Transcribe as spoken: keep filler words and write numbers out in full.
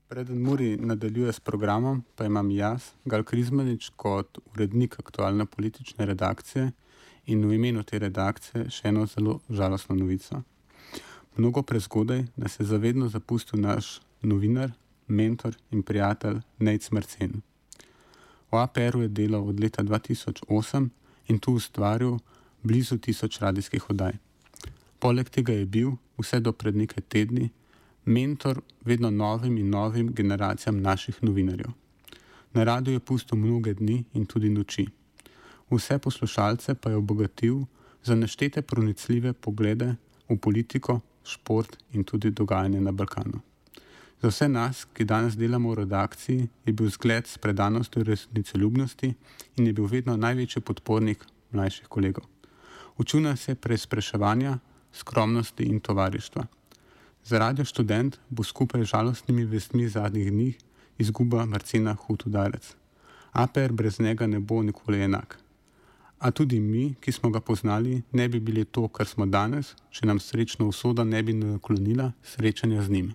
Preden Muri nadaljuje s programom, pa imam jaz, Gal Krizmanič, kot urednik aktualne politične redakcije in v imenu te redakcije še eno zelo žalostno novico. Mnogo prezgodaj nas je zavedno zapustil naš novinar, mentor in prijatelj Nejc Marcen. V A P R-u je delal od leta dva tisoč osem in tu ustvaril blizu tisoč radijskih oddaj. Poleg tega je bil, vse do pred nekaj tedni, mentor vedno novim in novim generacijam naših novinarjev. Na radiju je pustil mnoge dni in tudi noči. Vse poslušalce pa je obogatil za neštete pronicljive poglede v politiko, šport in tudi dogajanje na Balkanu. Za vse nas, ki danes delamo v redakciji, je bil zgled s predanostjo resnicoljubnosti in je bil vedno največji podpornik mlajših kolegov. Učil nas je preizpraševanja, skromnosti in tovarištva. Za Radio Študent bo skupaj z žalostnimi vestmi zadnjih dni izguba Marcena hud udarec. A P R brez njega ne bo nikoli enak. A tudi mi, ki smo ga poznali, ne bi bili to, kar smo danes, če nam srečno usoda ne bi naklonila srečanja z njim.